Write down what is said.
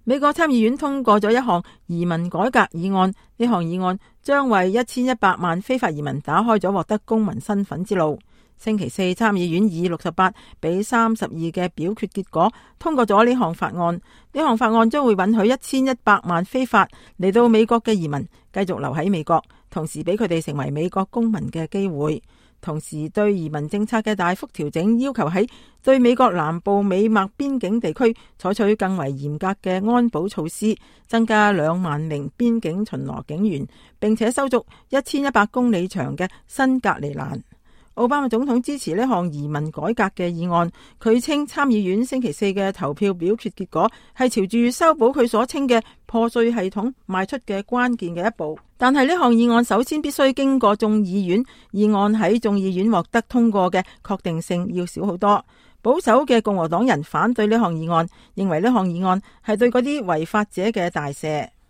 美國參議院通過咗一項移民改革議案，呢項議案將為1100萬非法移民打開咗獲得公民身份之路。星期四參議院以68比32嘅表決結果通過咗呢項法案。呢項法案將會允許1100萬非法嚟到美國嘅移民繼續留喺美國，同時俾佢哋成為美國公民嘅機會。同時對移民政策嘅大幅調整，要求喺對美國南部美墨邊境地區採取更為嚴格嘅安保措施，增加2萬名邊境巡邏警員，並且修築1100公里長嘅新隔離欄。奧巴馬總統支持呢項移民改革嘅議案，佢稱參議院星期四嘅投票表決結果係朝住修補佢所稱嘅破碎系統邁出嘅關鍵嘅一步。但係呢項議案首先必須經過眾議院，議案喺眾議院獲得通過嘅確定性要少好多。保守嘅共和黨人反對呢項議案，認為呢項議案係對嗰啲違法者嘅大赦。